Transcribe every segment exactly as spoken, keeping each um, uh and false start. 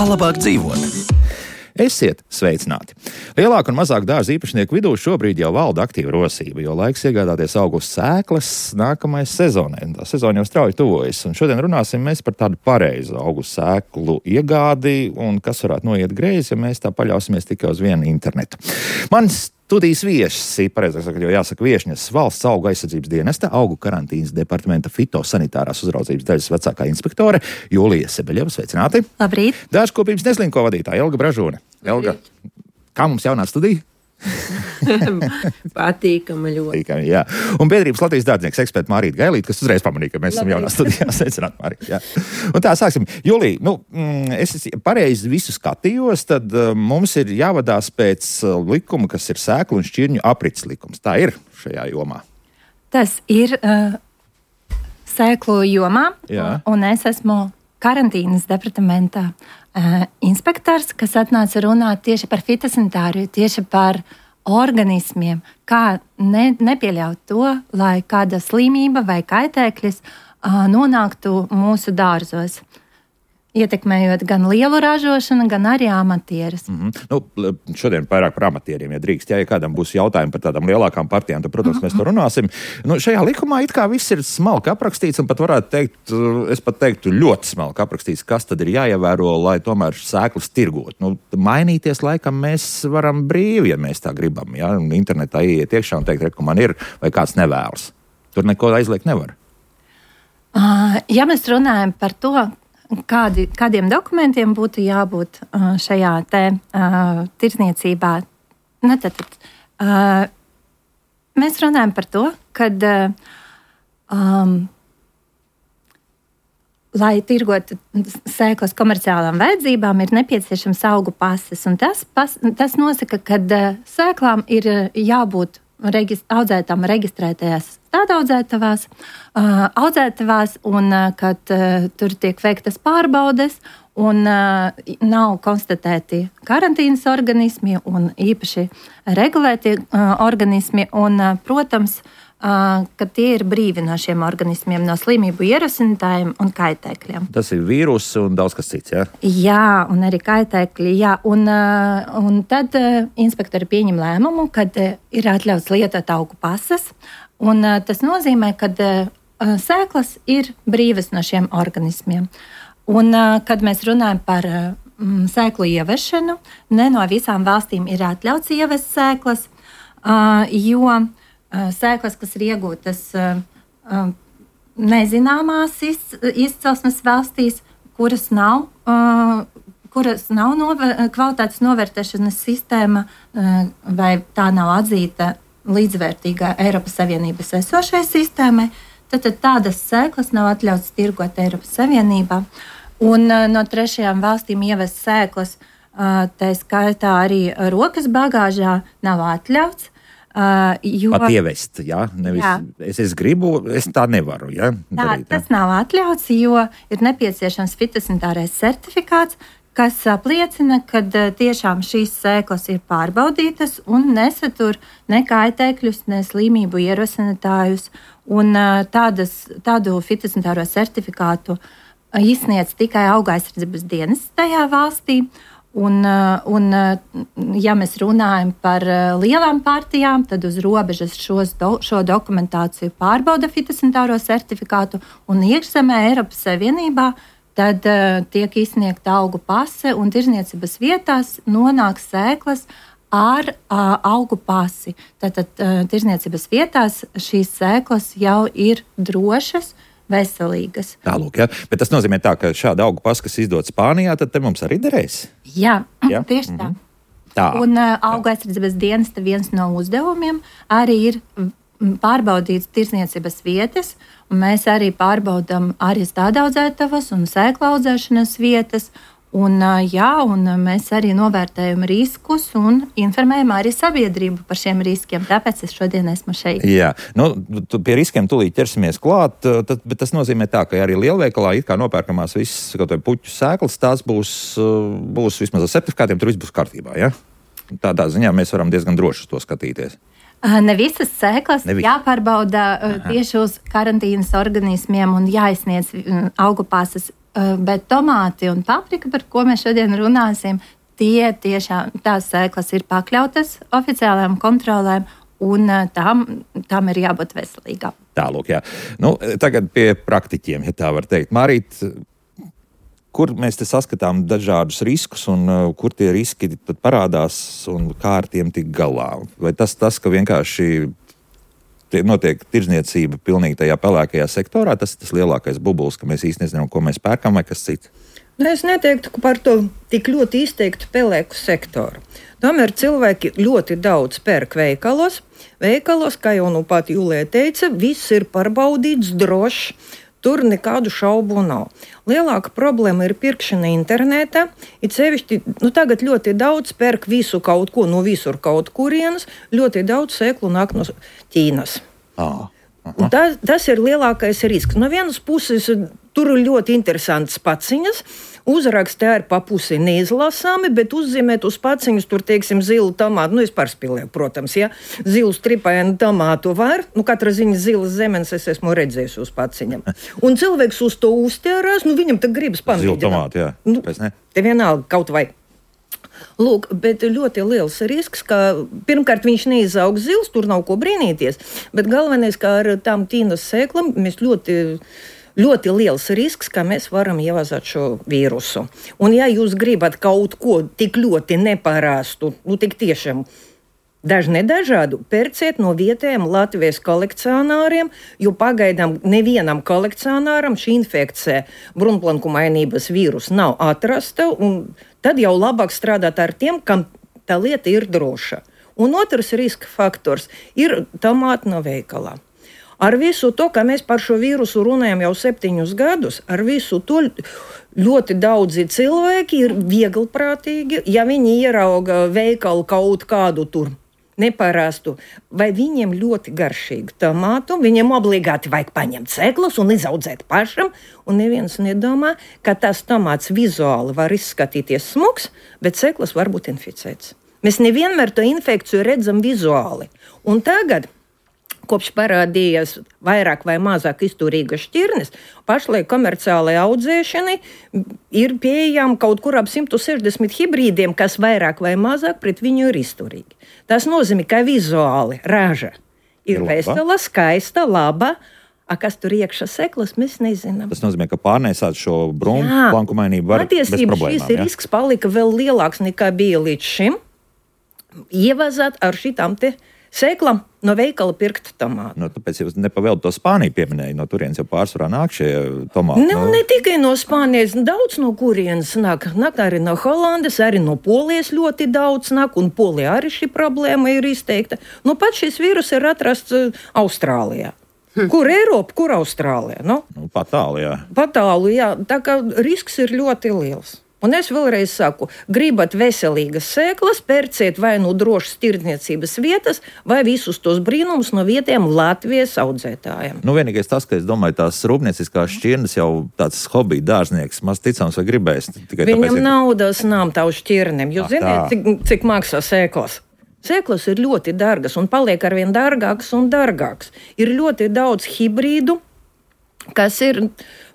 Kā labāk dzīvot? Esiet sveicināti! Lielāku un mazāku dārza īpašnieku vidū šobrīd jau valda aktīva rosība, jo laiks iegādāties augus sēklas nākamais sezonai. Tā sezona jau strauji tuvojas, un šodien runāsim mēs par tādu pareizu augu sēklu iegādi un kas varētu noiet greizi, ja mēs tā paļausimies tikai uz vienu internetu. Mans studijas viesis, pareizāk sakot, jo jāsaka viešņas, Valsts augu aizsardzības dienesta, augu karantīnas departamenta fitosanitārās uzraudzības daļas vecākā inspektore Julija Sebeļeva. Sveicināti! Labrīt! Dārzkopības neslinko vadītāja Elga Bražone. Elga, kā mums jaunā studija? Patīkami ļoti. Patīkami, jā. Un biedrības Latvijas dārznieks eksperta Mārīta Gailīte, kas uzreiz pamanīja, ka mēs esam jaunā studijā. Sveicināt, Mārīta, jā. Un tā, sāksim. Julija, nu, es pareizi visu skatījos, tad mums ir jāvadās pēc likuma, kas ir sēklu un šķirņu aprits likums. Tā ir šajā jomā. Tas ir uh, sēklu jomā, jā. Un es esmu karantīnas departamentā uh, inspektors, kas atnāca runāt tieši par fitosanitāriju, tieši par organismiem, kā ne, nepieļaut to, lai kāda slimība vai kaitēklis uh, nonāktu mūsu dārzos, ietekmējot gan lielu ražošanu, gan arī amatierus. Mm-hmm. Nu, šodien vairāk par amatieriem, ja drīkst. Ja kādam būs jautājumi par tādām lielākām partijām, tad, protams, mēs to runāsim. Nu, šajā likumā it kā viss ir smalki aprakstīts, un pat varētu teikt, es pat teiktu ļoti smalki aprakstīts, kas tad ir jāievēro, lai tomēr sēklas tirgot. Nu, mainīties laikam mēs varam brīvi, ja mēs tā gribam. Ja? Internetā ieiet iekšā un teikt, ka man ir, vai kāds nevēlas. Tur neko aizliegt nevar. Uh, ja mēs runājam par to, Kādi, kādiem dokumentiem būtu jābūt uh, šajā te uh, tirdzniecībā? Nu, tad, tad, uh, mēs runājam par to, ka, uh, um, lai tirgotu sēklas komerciālām vajadzībām, ir nepieciešams augu pases. Un tas, pas, tas nosaka, ka uh, sēklām ir jābūt Regist, audzētām reģistrētajās stādaudzētavās, uh, audzētavās, un uh, kad uh, tur tiek veiktas pārbaudes, un uh, nav konstatēti karantīnas organismi un īpaši regulēti uh, organismi, un, uh, protams, uh, ka tie ir brīvi no šiem organismiem, no slimību ierosinātājiem un kaitēkļiem. Tas ir vīruss un daudz kas cits, jā? Jā, un arī kaitēkļi, jā. Un, uh, un tad uh, inspektori pieņem lēmumu, kad uh, ir atļauts lietot augu pases, un uh, tas nozīmē, ka uh, sēklas ir brīvas no šiem organismiem. Un, uh, kad mēs runājam par uh, sēklu ievešanu, ne no visām valstīm ir atļauts ievest sēklas, uh, jo uh, sēklas, kas ir iegūtas uh, uh, nezināmās iz, izcelsmes valstīs, kuras nav, uh, kuras nav nover, kvalitātes novērtēšanas sistēma uh, vai tā nav atzīta līdzvērtīgā Eiropas Savienības esošai sistēmai, tad, tad tādas sēklas nav atļauts tirgot Eiropas Savienībā. Un uh, no trešajām valstīm ievest sēklas, uh, tā skaitā arī rokas bagāžā, nav atļauts. Uh, jo, Pat ievest, jā? Nevis, jā. Es, es gribu, es tā nevaru, jā? Tā, darīt, jā? Tas nav atļauts, jo ir nepieciešams fitosanitārais certifikāts, kas apliecina, ka uh, tiešām šīs sēklas ir pārbaudītas un nesatur ne kaitēkļus, ne slimību ierosinātājus. Un uh, tādas, tādu fitosanitāro certifikātu izsniedz tikai auga aizsardzības dienests tajā valstī. Un, un, ja mēs runājam par lielām partijām, tad uz robežas šos do, šo dokumentāciju pārbauda fitosanitāro certifikātu, un iekšzemē Eiropas Savienībā tad uh, tiek izsniegta augu pase, un tirdzniecības vietās nonāk sēklas ar uh, augu pasi. Tātad uh, tirdzniecības vietās šīs sēklas jau ir drošas, veselīgas. Tālūk, jā. Bet tas nozīmē tā, ka šāda augu pasa, kas izdod Spānijā, tad te mums arī derēs? Jā, jā? tieši tā. Mm-hmm. tā. Un uh, auga aizsardzības dienesta viens no uzdevumiem arī ir pārbaudīt tirdzniecības vietas, un mēs arī pārbaudām arī stādaudzētavas un sēklu audzēšanas vietas. Un, jā, un mēs arī novērtējam riskus un informējam arī sabiedrību par šiem riskiem. Tāpēc es šodien esmu šeit. Jā, nu, pie riskiem tūlīt ķersimies klāt, tad, bet tas nozīmē tā, ka arī lielveikalā it kā nopērkamās visas kaut vai puķu sēklas, tās būs, būs vismaz ar certifikātiem, tur viss būs kārtībā, ja? Tādā ziņā mēs varam diezgan droši uz to skatīties. Ne visas sēklas ne vis... jāpārbauda Aha. tieši uz karantīnas organismiem un jāizsniedz augu pases bet tomāti un paprika, par ko mēs šodien runāsim, tie tiešām tās sēklas ir pakļautas oficiālajām kontrolēm, un tām, tām ir jābūt veselīgām. Tālūk, jā. Nu, tagad pie praktiķiem, ja tā var teikt. Mārīt, kur mēs te saskatām dažādus riskus, un uh, kur tie riski tad parādās, un kā ar tiem tik galā? Vai tas, tas ka vienkārši notiek tirdzniecība pilnīgi tajā pelēkajā sektorā, tas ir tas lielākais bubulis, ka mēs īsti nezinām, ko mēs pērkam vai kas cits? Es neteiktu par to tik ļoti izteiktu pelēku sektoru. Tomēr cilvēki ļoti daudz pērk veikalos. Veikalos, kā jau nu pat Julija teica, viss ir pārbaudīts, drošs. Tur nekādu šaubu nav. Lielāka problēma ir pirkšana internetā. It sevišķi, nu tagad ļoti daudz pērk visu kaut ko no visur kaut kurienes. Ļoti daudz sēklu nāk no Ķīnas. Ah. Tā, tas ir lielākais risks. No vienas puses tur ir ļoti interesants paciņas. Uzraksti arī pa pusi neizlasāmi, bet uzzīmēt uz paciņus tur, teiksim, zilu tomātu. Nu, es pārspīlēju, protams, ja zilu stripainu tomātu var. Nu, katra ziņa zilas zemenes es esmu redzējis uz paciņam. Un cilvēks uz to uztērās, nu, viņam tad gribas pamēģināt. Zilu tomātu, jā. Nu, te vienalga kaut vai. Lūk, bet ļoti liels risks, ka pirmkārt viņš neizaug zils, tur nav ko brīnīties, bet galvenais, ka ar tām tīnas sēklam mēs ļoti, ļoti liels risks, ka mēs varam ievazāt šo vīrusu. Un ja jūs gribat kaut ko tik ļoti neparastu, nu tik tiešām daži nedažādu, pērciet no vietējiem Latvijas kolekcionāriem, jo pagaidām nevienam kolekcionāram šī infekcija brunplankumainības vīrus nav atrasta, un tad jau labāk strādāt ar tiem, kam tā lieta ir droša. Un otrs riska faktors ir tomāti no veikalā. Ar visu to, ka mēs par šo vīrusu runājam jau septiņus gadus, ar visu to ļoti daudzi cilvēki ir vieglprātīgi, ja viņi ierauga veikalu kaut kādu tur neparastu, vai viņiem ļoti garšīgu tomātu, viņiem obligāti vajag paņemt sēklas un izaudzēt pašam, un neviens nedomā, ka tas tomāts vizuāli var izskatīties smuks, bet sēklas var būt inficēts. Mēs nevienmēr to infekciju redzam vizuāli. Un tagad, kopš parādījās vairāk vai mazāk izturīgas šķirnes, pašlaik komerciālai audzēšanai ir pieejami kaut kur ap simt sešdesmit hibrīdiem, kas vairāk vai mazāk pret viņu ir izturīgi. Tas nozīmē, ka vizuāli raža ir vesela, skaista, laba, a kas tur iekšā seklas, mēs nezinām. Tas nozīmē, ka pārnēsāt šo brunplankumainību var bez problēmām. Šis ja? risks palika vēl lielāks nekā bija līdz šim. Ievazāt ar šitām te sēklam no veikala pirkt tomātu. No, tāpēc jūs nepavēldu to Spāniju pieminēju, no turienes jau pārsvarā nāk šie tomāti. Ne, no... ne tikai no Spānijas, daudz no kurienes nāk. Nāk arī no Holandes, arī no Polijas ļoti daudz nāk, un Polijā arī šī problēma ir izteikta. Nu, pat šis vīrus ir atrasts uh, Austrālijā. Hm. Kur Eiropa, kur Austrālijā? Nu? Nu, patālu, jā. Patālu, jā. Tā kā risks ir ļoti liels. Un es vēlreiz saku, gribat veselīgas sēklas, pērciet vai nu drošas tirdzniecības vietas, vai visus tos brīnumus no vietējiem Latvijas audzētājiem. Nu, vienīgais tas, ka es domāju, tās rūpnieciskās šķirnes jau tāds hobija dārznieks, maz ticams vai gribēs. Viņam tāpēc, naudas nav tavu šķirnēm. Jūs zināt, cik, cik maksā sēklas? Sēklas ir ļoti dārgas un paliek arvien dārgākas un dārgākas. Ir ļoti daudz hibrīdu, kas ir,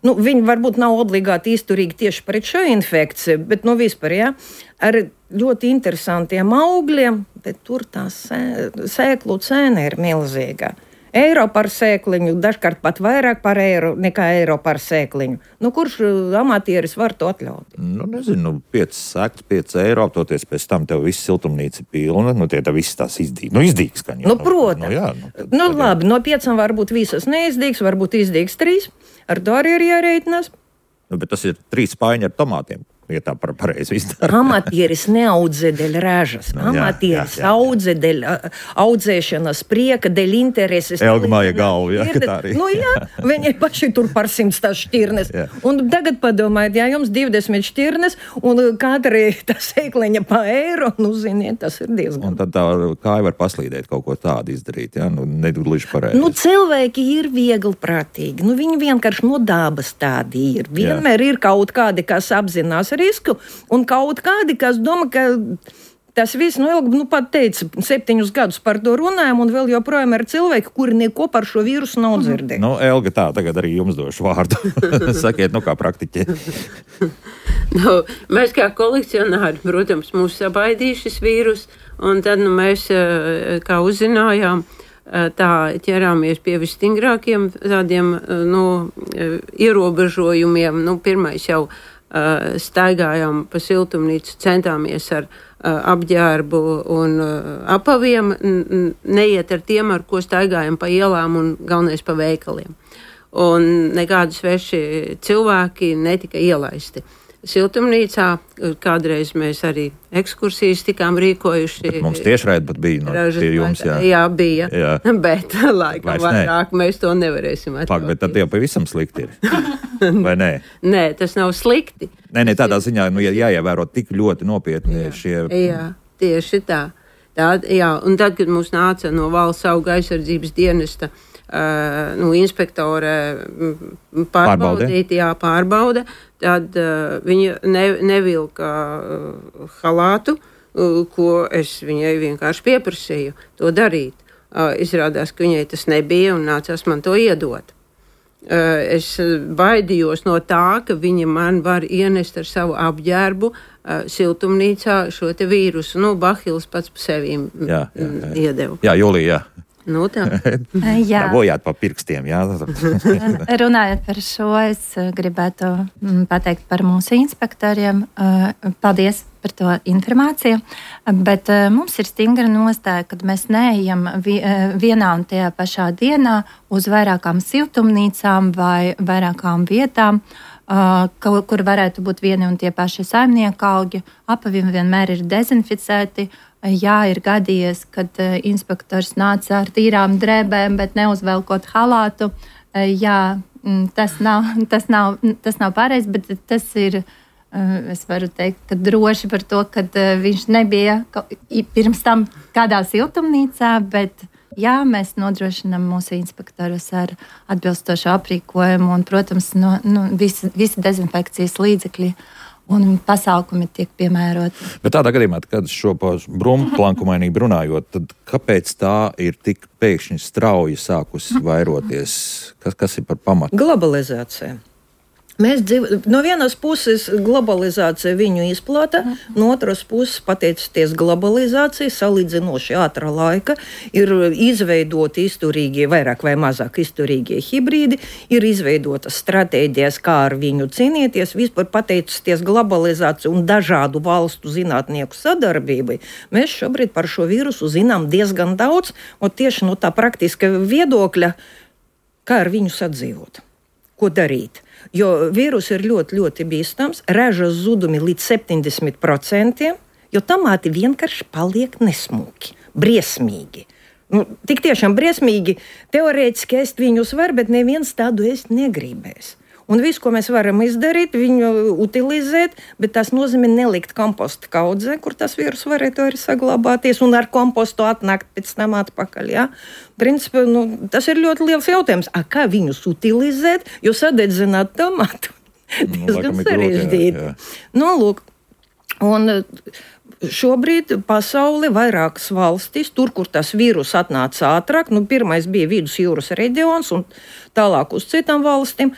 nu, viņi varbūt nav obligāti izturīgi tieši pret šo infekciju, bet, nu, vispār, jā, ar ļoti interesantiem augļiem, bet tur tā sē, sēklu cena ir milzīga. Eiro par sēkliņu, dažkārt pat vairāk par eiro nekā eiro par sēkliņu. Nu, kurš amatieris var to atļaut? Nu, nezinu, piecas sēklas, pieci eiro, toties pēc tam tev viss siltumnīca pilna, nu, tie tā viss tās izdīgs. Nu, izdīgs, ka jau. Nu, protams. Nu, jā, nu, tad, nu tad, labi, no piecām varbūt visas neizdīgs, varbūt izdīgs trīs. Ar to arī ir jārēķinās. Nu, bet tas ir trīs spaiņi ar tomātiem. Ja tā par pareizi izdara. Amatieris neaudzē dēļ ražas. No, Amatieris jā, jā, jā. audzē dēļ audzēšanas prieka, dēļ intereses. Elga māja galva, jā, ka tā arī. Nu jā, viņi paši tur par simts tās šķirnes. Jā. Un tagad padomājiet, ja jums divdesmit šķirnes un katra tā sēkliņa pa eiro, nu ziniet, tas ir diezgan. Un tad tā kāja var paslīdēt kaut ko tādu izdarīt, jā, nu negluži pareizi. Nu cilvēki ir viegli prātīgi, nu viņi vienkārši no dabas tādi ir. Vienmēr jā. ir kaut kādi, kas apzinās risku, un kaut kādi, kas domā, ka tas viss, nu, ilgi, nu, pat teica, septiņus gadus par to runājam, un vēl joprojām ir cilvēki, kuri neko par šo vīrusu nav dzirdējuši. Nu, Elga, tā, tagad arī jums došu vārdu. Sakiet, nu, kā praktiķi. Nu, mēs kā kolekcionāri, protams, mūs sabaidīja šis vīrus, un tad, nu, mēs, kā uzzinājām, tā ķerāmies pie visstingrākiem tādiem, nu, ierobežojumiem. Nu, pirmais jau uh, staigājām pa siltumnīcu, centāmies ar uh, apģērbu un uh, apaviem, n- neiet ar tiem, ar ko staigājam pa ielām un galvenais pa veikaliem. Un nekādi sveši cilvēki netika ielaisti. Siltumnīcā kādreiz mēs arī ekskursijas tikām rīkojuši. Bet mums tiešraidi pat bija no pie jums, jā. Jā, bija, jā. Bet laikam vairāk mēs to nevarēsim atļauties. Pak, bet tad jau pavisam slikti ir, vai nē? Nē, tas nav slikti. Nē, nē, tādā ziņā, nu, jāievēro tik ļoti nopietni jā. Šie... Jā, tieši tā. tā. Jā, un tad, kad mums nāca no valsts auga aizsardzības dienesta Uh, nu, inspektore pārbaudīt, jā, pārbauda, tad uh, viņa ne, nevilka uh, halātu, uh, ko es viņai vienkārši pieprasīju to darīt. Uh, izrādās, ka viņai tas nebija un nācās man to iedot. Uh, es baidījos no tā, ka viņa man var ienest ar savu apģērbu uh, siltumnīcā šo te vīrusu. Nu, Bahils pats pa sevīm jā, jā, jā. iedeva. Jā, Julija, jā. Nu, tā. Jā. Bojāt pa pirkstiem, jā. Runājot par šo, es gribētu pateikt par mūsu inspektoriem. Paldies par to informāciju, bet mums ir stingra nostāja, kad mēs neejam vienā un tajā pašā dienā uz vairākām siltumnīcām vai vairākām vietām, kur varētu būt vieni un tie paši saimniekaugi. Apavi vienmēr ir dezinficēti. Jā, ir gadījies, kad uh, inspektors nāca ar tīrām drēbēm, bet neuzvelkot halātu. Uh, jā, tas nav, tas nav, tas nav pareizi, bet tas ir, uh, es varu teikt, ka droši par to, ka uh, viņš nebija pirms tam kādā siltumnīcā, bet jā, mēs nodrošinām mūsu inspektorus ar atbilstošu aprīkojumu un, protams, no, no, visi, visi dezinfekcijas līdzekļi un pasākumi tiek piemēroti. Bet tādā gadījumā, kad šo brumplankumainību runājot, tad kāpēc tā ir tik pēkšņi strauji sākusi vairoties? Kas, kas ir par pamatu? Globalizācija. Mēs dzīvo, no vienas puses globalizācija viņu izplata, no otras puses, pateicoties globalizācijai, salīdzinoši ātrā laika, ir izveidoti izturīgie, vairāk vai mazāk izturīgie hibrīdi, ir izveidotas stratēģijas, kā ar viņu cīnīties, vispār pateicoties globalizāciju un dažādu valstu zinātnieku sadarbībai. Mēs šobrīd par šo vīrusu zinām diezgan daudz, un tieši no tā praktiska viedokļa, kā ar viņu sadzīvot, ko darīt. Jo vīrus ir ļoti, ļoti bīstams, ražas zudumi līdz septiņdesmit procentiem, jo tomāti vienkārši paliek nesmuki, briesmīgi. Nu, tik tiešām briesmīgi, teorētiski ēst viņus var, bet neviens tādu ēst negribēs. Un viss, ko mēs varam izdarīt, viņu utilizēt, bet tas nozīmē nelikt komposta kaudzē, kur tas vīrus varētu arī saglabāties, un ar kompostu atnākt pēc tam atpakaļ. Ja? Principā, nu, tas ir ļoti liels jautājums. A, kā viņus utilizēt, jo sadedzināt tomātu diezgan nu, sarežģīti. Nu, lūk, un šobrīd pasauli vairākas valstis, tur, kur tas vīrus atnāca ātrāk, nu, pirmais bija Vidusjūras reģions un tālāk uz citām valstīm,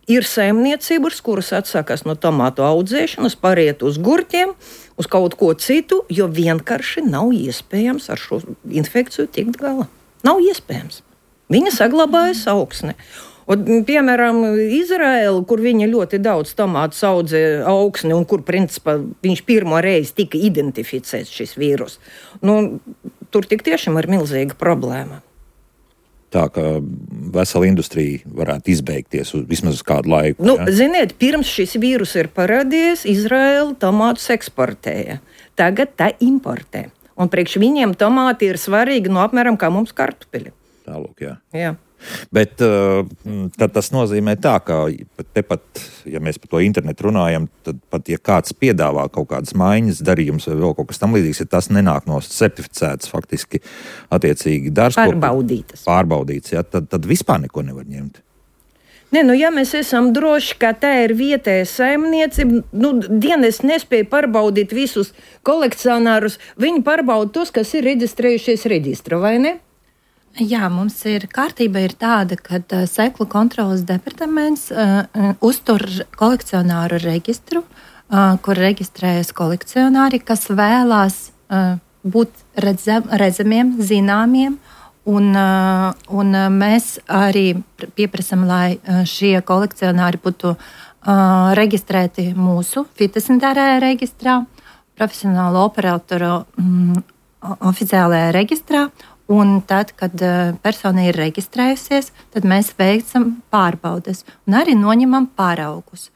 ir saimniecības, kuras atsakās no tomātu audzēšanas, pāriet uz gurķiem, uz kaut ko citu, jo vienkārši nav iespējams ar šo infekciju tikt galā. Nav iespējams. Viņa saglabājas augsne. Un, piemēram, Izraela, kur viņa ļoti daudz tomātu audzē augsni un kur, principā, viņš pirmo reizi tika identificēts šis vīrus, nu, tur tik tiešām ir milzīga problēma. Tā, ka vesela industrija varētu izbeigties uz vismaz uz kādu laiku. Nu, ja? Ziniet, pirms šis vīrus ir parādījies, Izraela tomātus eksportēja. Tagad tā importē. Un priekš viņiem tomāti ir svarīgi, no apmēram kā mums kartupeļi. Tālūk, jā. Jā. Bet uh, tad tas nozīmē tā, ka tepat, ja mēs par to internetu runājam, tad pat, ja kāds piedāvā kaut kādas maiņas darījums vai vēl kaut kas tam līdzīgs, ja tas nenāk no certificētas faktiski attiecīgi dārzkopu. Pārbaudītas. Pārbaudīts, ja, tad, tad vispār neko nevar ņemt. Ne, nu, ja mēs esam droši, ka tā ir vietēja saimniecība, nu, dienas nespēja pārbaudīt visus kolekcionārus, viņi pārbauda tos, kas ir reģistrējušies reģistra, vai ne? Jā, mums ir kārtība ir tāda, ka uh, sēklu kontrolas departaments uh, uh, uztur kolekcionāru reģistru, uh, kur reģistrējas kolekcionāri, kas vēlās uh, būt redzam, redzamiem, zināmiem. Un, un mēs arī pieprasām, lai šie kolekcionāri būtu uh, reģistrēti mūsu fitosanitārajā reģistrā, profesionālo operatoru um, oficiālajā reģistrā. Un tad, kad uh, persona ir reģistrējusies, tad mēs veicam pārbaudes un arī noņemam paraugus.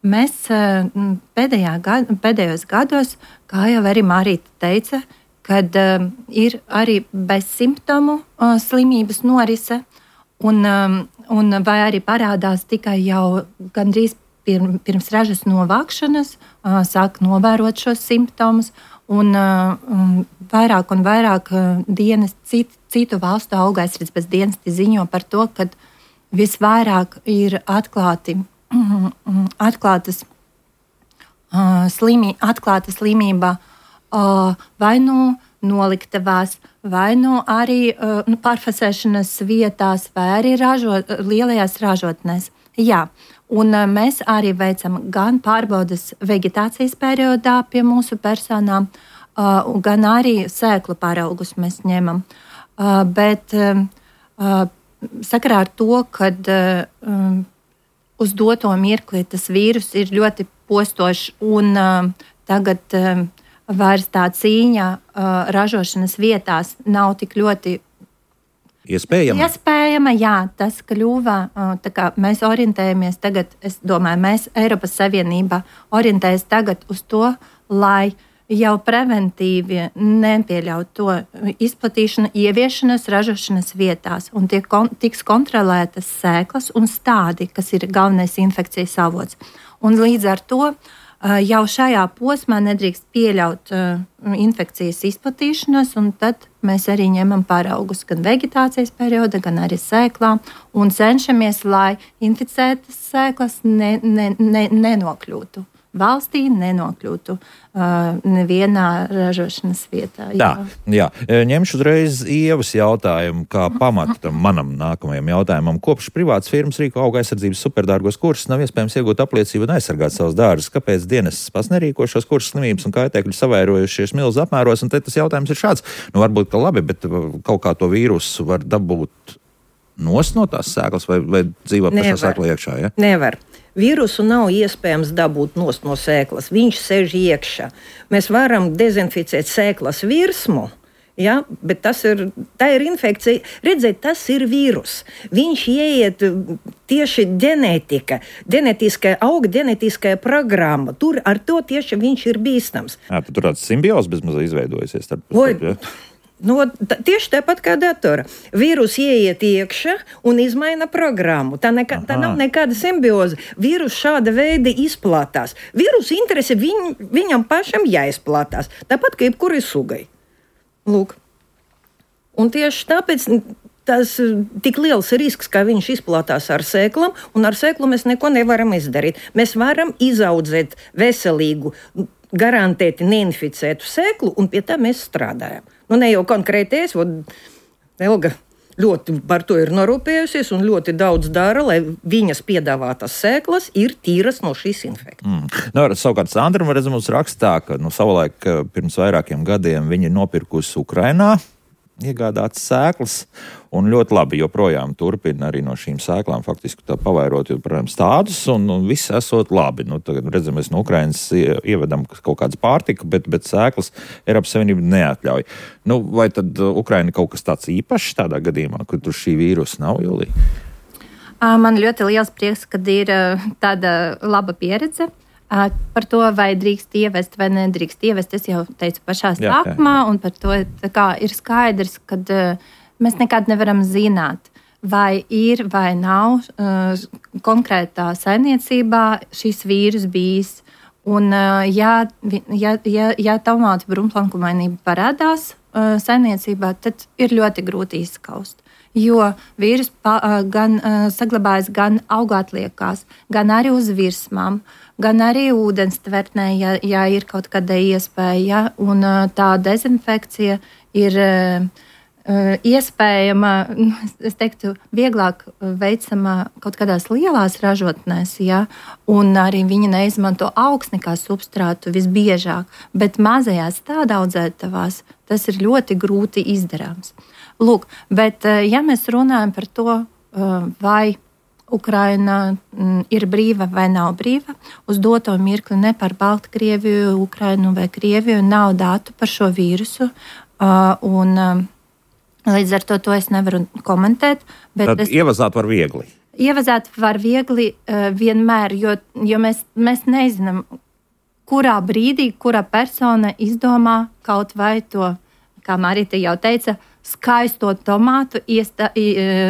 Mēs uh, pēdējā gad, pēdējos gados, kā jau arī Marīta teica, kad um, ir arī bezsimptomu uh, slimības norise, un, um, un vai arī parādās tikai jau gandrīz pirm, pirms ražas novākšanas, uh, sāk novērot šos simptomus, un uh, um, vairāk un vairāk uh, dienas cit, citu valstu augaizsardzības dienesti ziņo par to, ka visvairāk ir atklāti, mm, mm, atklātas, uh, slimi, atklāta slimība vai nu noliktavās, vai nu arī uh, nu, pārfasēšanas vietās, vai arī ražot, lielajās ražotnēs. Jā, un uh, mēs arī veicam gan pārbaudes vegetācijas periodā pie mūsu personām, uh, gan arī sēklu paraugus mēs ņemam. Uh, bet uh, uh, sakarā ar to, kad uh, um, uz doto mirkli tas vīrus ir ļoti postošs un uh, tagad uh, vairs tā cīņa uh, ražošanas vietās nav tik ļoti iespējama. Iespējama, jā, tas kļuva, uh, tā kā mēs orientējamies tagad, es domāju, mēs Eiropas Savienībā orientējas tagad uz to, lai jau preventīvi nepieļaut to izplatīšanu, ieviešanas ražošanas vietās un tiek kon, tiks kontrolētas sēklas un stādi, kas ir galvenais infekcijas avots. Un līdz ar to jau šajā posmā nedrīkst pieļaut uh, infekcijas izplatīšanos, un tad mēs arī ņemam paraugus gan vegetācijas perioda, gan arī sēklām un cenšamies, lai inficētas sēklas ne, ne, ne, nenokļūtu valstī, nenokļūtu uh, nevienā ražošanas vietā. Jā. Tā, jā. Ņemšu uzreiz Ievas jautājumu kā pamatam manam nākamajam jautājumam. Kopš privātas firmas rīko auga aizsardzības superdārgos kursus nav iespējams iegūt apliecību un aizsargāt savus dārzus. Kāpēc dienestas pats nerīko šos kursus slimības un kaitēkļi savairojušies milzu apmēros? Un te tas jautājums ir šāds. Nu, varbūt, ka labi, bet kaut kā to vīrusu var dabūt nost no tās sēklas vai, vai dzīvot pašā sēklā iekšā? Ja? Nevar. Vīrusu nav iespējams dabūt nost no sēklas. Viņš sēž iekšā. Mēs varam dezinficēt sēklas virsmu, ja, bet tas ir, tā ir infekcija. Redziet, tas ir vīrus. Viņš ieiet tieši ģenētika, ģenētiskā, auga ģenētiskā programma. Tur ar to tieši viņš ir bīstams. Jā, tur tāds simbiozes bezmazliet izveidojusies. Starp, starp, ja? No, t- tieši tāpat kā datora. Vīrus ieiet iekšā un izmaina programmu. Tā, neka, tā nav nekāda simbioze. Vīrus šāda veida izplatās. Vīrusu interese viņ, viņam pašam jāizplatās. Tāpat kā jebkurai sugai. Lūk. Un tieši tāpēc tas tik liels risks, ka viņš izplatās ar sēklām, un ar sēklu mēs neko nevaram izdarīt. Mēs varam izaudzēt veselīgu, garantēti neinficētu sēklu, un pie tā mēs strādājam. Nu, ne jau konkrēti es, Elga ļoti par to ir norūpējusies un ļoti daudz dara, lai viņas piedāvātas sēklas ir tīras no šīs infekcijas. Mm. Nu, savukārt Sandra mums rakstā, ka nu, savulaik pirms vairākiem gadiem viņa ir nopirkusi Ukrainā iegādātas sēklas, un ļoti labi joprojām turpina arī no šīm sēklām faktiski tā pavairot joprojām stādus, un, un viss esot labi. Nu, tagad redzam, mēs no Ukrainas ievedam kaut kādas pārtika, bet, bet sēklas Eiropas Savienība neatļauj. Nu, vai tad Ukraina kaut kas tāds īpašs tādā gadījumā, kur tur šī vīrusa nav, Julija? Man ļoti liels prieks, kad ir tāda laba pieredze. Par to, vai drīkst ievest vai nedrīkst ievest, es jau teicu pašā sākumā, un par to kā, ir skaidrs, ka uh, mēs nekad nevaram zināt, vai ir vai nav uh, konkrētā saimniecībā šis vīrus bijis. Un, uh, ja, ja, ja, ja tomātu brūnplankumainība parādās uh, saimniecībā, tad ir ļoti grūti izskaust. jo vīrus pa, gan uh, saglabājas gan augātliekās, gan arī uz virsmām, gan arī ūdens tvertnē, ja, ja ir kaut kāda iespēja, un uh, tā dezinfekcija ir uh, uh, iespējama, es teiktu, vieglāk veicama kaut kādās lielās ražotnēs, ja, un arī viņi neizmanto augsni kā substrātu visbiežāk, bet mazajās tādaudzētavās tas ir ļoti grūti izdarāms. Lūk, bet ja mēs runājam par to, vai Ukraina ir brīva vai nav brīva, uz doto mirkli ne par Baltkrieviju, Ukrainu vai Krieviju nav datu par šo vīrusu, un līdz ar to to es nevaru komentēt. Bet Tad es... ievazāt var viegli. Ievazāt var viegli vienmēr, jo, jo mēs, mēs nezinām, kurā brīdī, kura persona izdomā kaut vai to, kā Marita jau teica, skaisto tomātu iesta,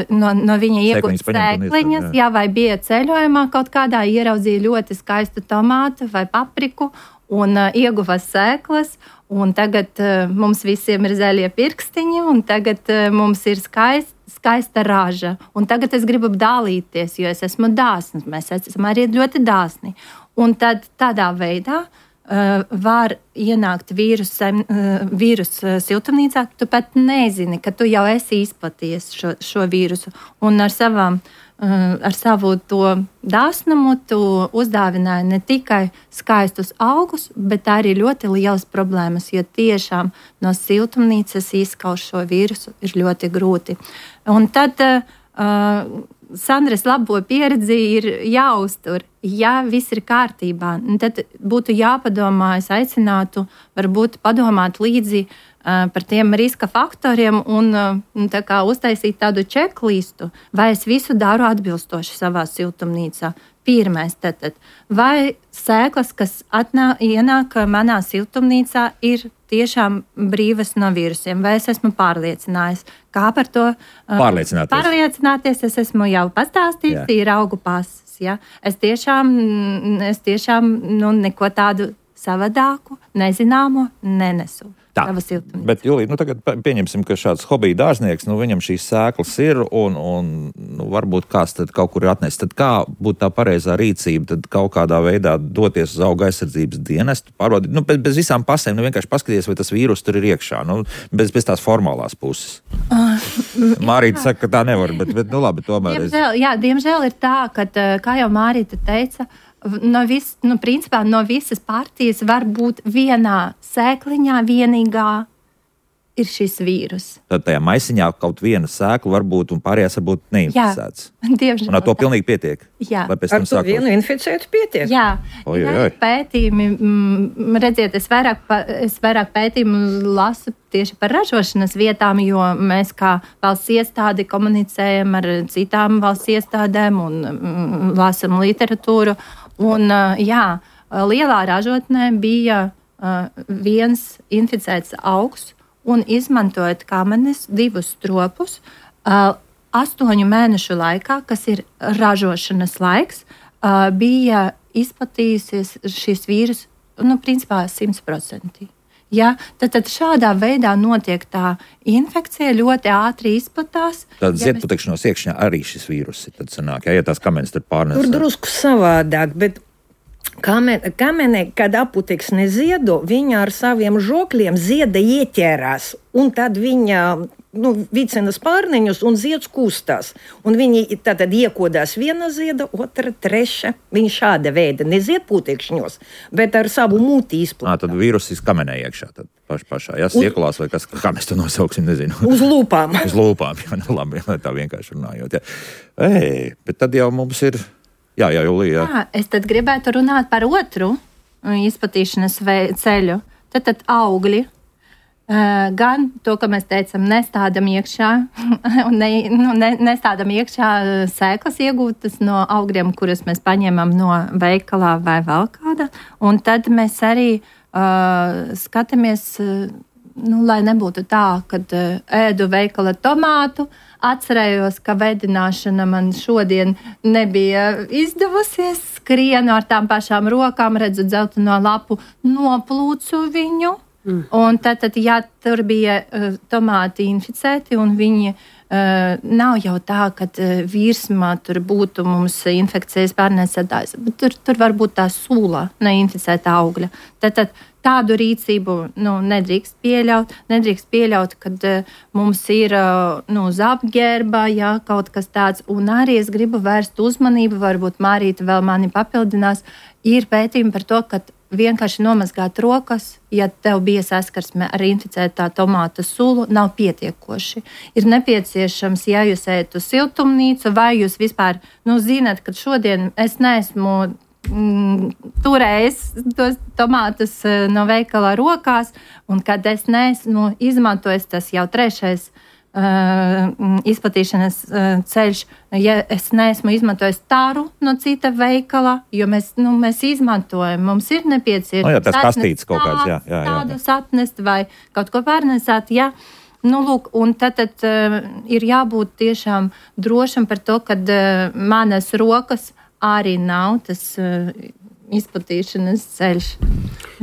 no, no viņa iegūt sēkliņas, jā, vai bija ceļojumā kaut kādā, ieraudzīja ļoti skaistu tomātu vai papriku un uh, ieguva sēklas, un tagad uh, mums visiem ir zaļie pirkstiņi, un tagad uh, mums ir skaist, skaista raža, un tagad es gribu dalīties, jo es esmu dāsns, mēs esam arī ļoti dāsni. Un tad tādā veidā Uh, var ienākt vīrus, uh, vīrus uh, siltumnīcā, tu pat nezini, ka tu jau esi izplatījies šo, šo vīrusu. Un ar, savām, uh, ar savu to dāsnumu tu uzdāvināji ne tikai skaistus augus, bet arī ļoti lielas problēmas, jo tiešām no siltumnīcas izskauž šo vīrusu ir ļoti grūti. Un tad uh, Sandras labo pieredzi ir jāuztur. Ja viss ir kārtībā, tad būtu jāpadomā, es aicinātu varbūt padomāt līdzi uh, par tiem riska faktoriem un uh, tā kā uztaisīt tādu čeklistu, vai es visu daru atbilstoši savā siltumnīcā. Pirmais, tātad, vai sēklas, kas atnā, ienāk manā siltumnīcā, ir tiešām brīvas no vīrusiem, vai es esmu pārliecinājis. Kā par to pārliecināties? Pārliecināties es esmu jau pastāstījis, ir augu pases. Ja? Es tiešām, es tiešām nu, neko tādu savādāku, nezināmo nenesu. Tā, bet, Julija, nu tagad pieņemsim, ka šāds hobija dārznieks, nu viņam šīs sēklas ir un, un nu, varbūt kāds tad kaut kur ir atnesis. Tad kā būtu tā pareizā rīcība, tad kaut kādā veidā doties uz auga aizsardzības dienestu, pārbaudīt, nu bez, bez visām pasēm, nu vienkārši paskaties, vai tas vīrus tur ir iekšā, nu bez, bez tās formālās puses. Uh, Mārīta saka, ka tā nevar, bet, bet nu labi, tomēr. Diemžēl, jā, diemžēl ir tā, ka, kā jau Mārīta teica, No, vis, nu, principā, no visas partijas var būt vienā sēkliņā vienīgā ir šis vīrus. Tad tajā maisiņā kaut viena sēkla var būt un pārējās var būt neinficētas. Jā, diemžēl. Un ar to pilnīgi pietiek. Jā. Ar to sākot... vienu inficētu pietiek. Jā, oj, oj, oj. Pētījumi, m, redziet, es vairāk, es vairāk pētījumu lasu tieši par ražošanas vietām, jo mēs kā valsts iestādi komunicējam ar citām valsts iestādēm un m, lasam literatūru. Un, jā, lielā ražotnē bija uh, viens inficēts augs, un izmantojot kamenes divus stropus, uh, astoņu mēnešu laikā, kas ir ražošanas laiks, uh, bija izplatījusies šis vīrus, nu, principā simtprocentīgi. Ja, tad, tad šādā veidā notiek tā infekcija, ļoti ātri izplatās. Tad ja ziedputekšņos mēs... iekšņā arī šis vīrus ir, tad sanāk, ja, ja tās kamenes tur pārnes. Tur drusku savādāk, bet kamene, kamene kad aputeksne ziedo, viņa ar saviem žokļiem zieda ieķērās, un tad viņa... Nu, vicina spārniņus un zieds kustās. Un viņi tātad iekodās viena zieda, otra, treša. Viņi šāda veida nezied putekšņos, bet ar savu muti izplatā. Tad vīrus izkamenē iekšā tad paš, pašā. Jā, siekulās vai kas, kā mēs to nosauksim, nezinu. Uz lūpām. Uz lūpām, jā, nu labi, tā vienkārši runājot. Jā. Ei, bet tad jau mums ir, jā, jā, Julija. Jā. Jā, es tad gribētu runāt par otru izplatīšanas ceļu. Tad, tad augļi. Uh, gan to, ka mēs teicam, nestādam iekšā, un ne, nu, ne, nestādam iekšā sēklas iegūtas no augļiem, kuras mēs paņemam no veikalā vai vēl kāda. Un tad mēs arī uh, skatāmies, uh, nu, lai nebūtu tā, kad uh, ēdu veikala tomātu, atcerējos, ka vedināšana man šodien nebija izdevusies, skrienu ar tām pašām rokām, redzu dzelteno lapu, noplūcu viņu. Mm. Un tad, tad, ja tur bija uh, tomāti inficēti un viņi uh, uh, nav jau tā, ka uh, virsmā tur būtu mums infekcijas pārnēsētājs, bet tur, tur var būt tā sula neinficēta augļa. Tad, tad tādu rīcību nu, nedrīkst pieļaut. Nedrīkst pieļaut, kad uh, mums ir uh, nu, zapģērba, jā, kaut kas tāds. Un arī es gribu vērst uzmanību, varbūt Mārīta vēl mani papildinās, ir pētījumi par to, ka vienkārši nomazgāt rokas, ja tev bija saskarsme ar inficētā tomāta sulu, nav pietiekoši. Ir nepieciešams, ja jūs ejat uz siltumnīcu, vai jūs vispār, nu, zinat, ka šodien es neesmu mm, turējis tos tomātus no veikala rokās, un kad es neesmu izmantojis, tas jau trešais Uh, izplatīšanas uh, ceļš, ja es neesmu izmantojis tāru no cita veikala, jo mēs, nu, mēs izmantojam, mums ir nepieciešams. No jā, tas kastīts kaut kāds, jā, jā, jā. Tādus atnest vai kaut ko pārnesāt, jā. Nu, lūk, un tad, tad uh, ir jābūt tiešām drošam par to, ka uh, manas rokas arī nav tas uh, izplatīšanas ceļš.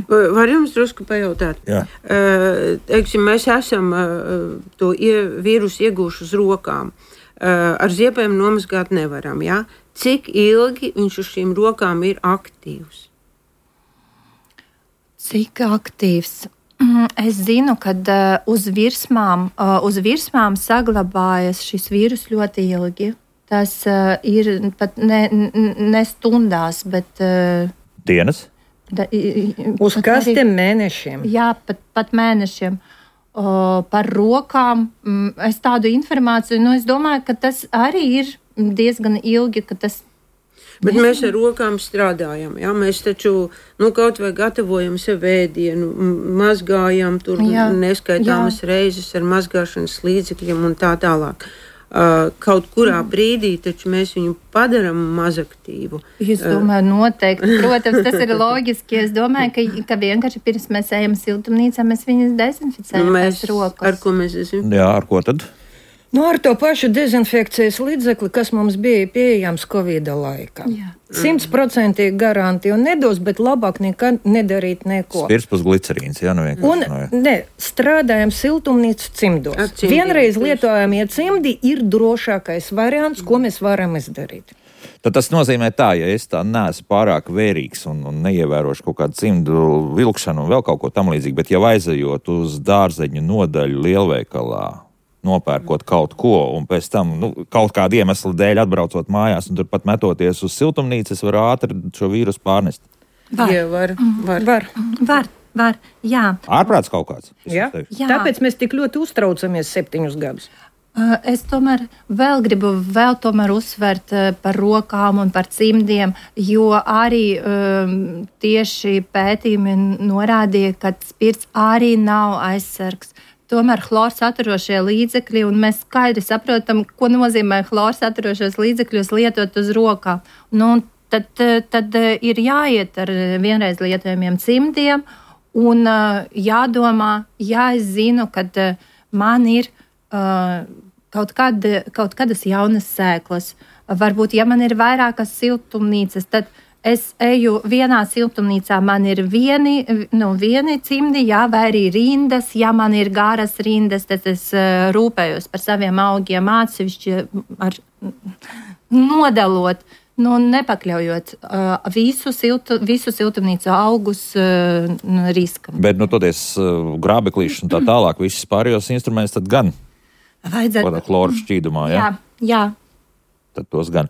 Var jums drusku pajautāt? Jā. Uh, teiksim, mēs esam uh, to ie, vīrusu iegūšu uz rokām. Uh, ar ziepēm nomazgāt nevaram, jā? Cik ilgi viņš uz šīm rokām ir aktīvs? Cik aktīvs? Es zinu, ka uh, uz virsmām, uh, uz virsmām saglabājas šis vīrus ļoti ilgi. Tas uh, ir pat ne, ne stundās, bet uh, dienas? Da, uz kastiem mēnešiem. Jā, pat, pat mēnešiem. O, par rokām. Es tādu informāciju, nu, es domāju, ka tas arī ir diezgan ilgi, ka tas. Bet mēs ar rokām strādājam, jā? Mēs taču, nu, kaut vai gatavojam sev ēdienu, mazgājam tur jā, neskaitāmas jā. reizes ar mazgāšanas līdzekļiem un tā tālāk. Uh, kaut kurā brīdī taču mēs viņu padarām mazaktīvu. Es domāju, noteikti. Protams, tas ir loģiski. Es domāju, ka, ka vienkārši pirms mēs ejam siltumnīcā, mēs viņus dezinficējam. Mēs, rokas. Ar ko mēs dezinficējam? Jā, ar ko tad? Nu, ar to pašu dezinfekcijas līdzekli, kas mums bija pieejams Covida laikā. Simtprocentīgi garantija un nedos, bet labāk nekad nedarīt neko. Spirspus glicerīns, jā, nu vienkārši. Un ne, strādājam siltumnīcu cimdos. Vienreiz lietojamie cimdi ir drošākais variants, ko mēs varam izdarīt. Tad tas nozīmē tā, ja es tā neesmu pārāk vērīgs un, un neievērošu kaut kādu cimdu vilkšanu un vēl kaut ko tam līdzīgi, bet jau aizejot uz dārzeņu nodaļu lielveikalā, nopērkot kaut ko, un pēc tam nu, kaut kādu iemeslu dēļ atbraucot mājās un turpat metoties uz siltumnīcu, es varu ātri šo vīrusu pārnest. Var. Jā, var. Var. Var. Var. Var. Jā. Ārprāts kaut kāds. Jā. Jā. Tāpēc mēs tik ļoti uztraucamies septiņus gadus. Es tomēr vēl gribu vēl tomēr uzsvērt par rokām un par cimdiem, jo arī um, tieši pētījumi norādīja, ka spirts arī nav aizsargs. Tomēr chlora saturošie līdzekļi, un mēs skaidri saprotam, ko nozīmē chlora saturošos līdzekļus lietot uz rokām. Nu, tad, tad ir jāiet ar vienreiz lietojamiem cimdiem un jādomā, ja es zinu, kad man ir uh, kaut, kad, kaut kādas jaunas sēklas. Varbūt, ja man ir vairākas siltumnīcas, tad es eju vienā siltumnīcā, man ir vieni, nu, vieni cimdi, jā, vai arī rindas. Ja man ir garas rindas, tad es uh, rūpējos par saviem augiem atsevišķi ar nodalot, nu, nepakļaujot uh, visu, siltu, visu siltumnīcu augus uh, riskam. Bet, nu, toties uh, grābeklīšs un tā tālāk, visas pārējos instrumentus tad gan vajadzētu chloru šķīdumā, jā? Jā, jā. Tad tos gan.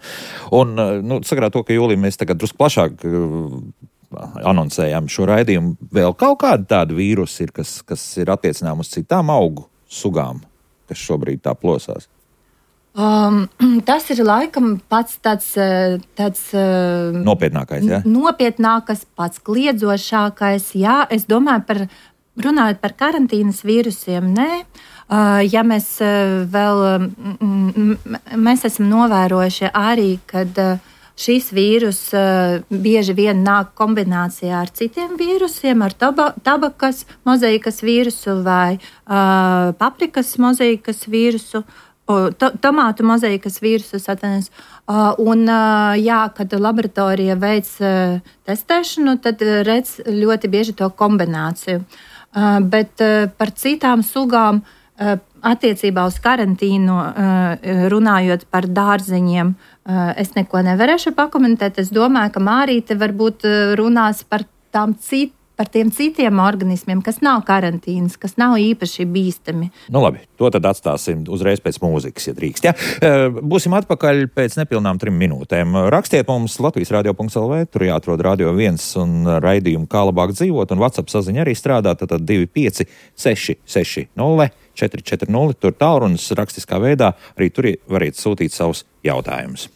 Un, nu, sakarā to, ka jūlijā mēs tagad drusku plašāk uh, anoncējām šo raidījumu, vēl kaut kāda tāda vīrusa ir, kas, kas ir attiecinām uz citām augu sugām, kas šobrīd tā plosās? Um, tas ir laikam pats tāds, tāds nopietnākais, jā? Nopietnākais, pats kliedzošākais, jā. Es domāju par, runājot par karantīnas vīrusiem, nē. Uh, ja mēs uh, vēl, m, mēs esam novērojuši arī, kad uh, šīs vīrus uh, bieži vien nāk kombinācijā ar citiem vīrusiem, ar taba, tabakas mozaikas vīrusu vai uh, paprikas mozaikas vīrusu, uh, to, tomātu mozaikas vīrusu satanies. Uh, un, uh, jā, kad laboratorija veic uh, testēšanu, tad uh, redz ļoti bieži to kombināciju. Uh, bet uh, par citām sugām attiecībā uz karantīnu, runājot par dārzeņiem, es neko nevarēšu pakomentēt. Es domāju, ka Mārīte varbūt runās par tām citām. Par tiem citiem organismiem, kas nav karantīnas, kas nav īpaši bīstami. Nu labi, to tad atstāsim uzreiz pēc mūzikas, ja drīkst. Ja? Būsim atpakaļ pēc nepilnām trim minūtēm. Rakstiet mums Latvijas radio punkts el vē, tur jāatrod Radio viens un raidījumu Kā labāk dzīvot, un WhatsApp saziņa arī strādā, tad divi pieci seši seši nulle četri četri nulle, tur tālrunis rakstiskā veidā, arī tur variet sūtīt savus jautājumus.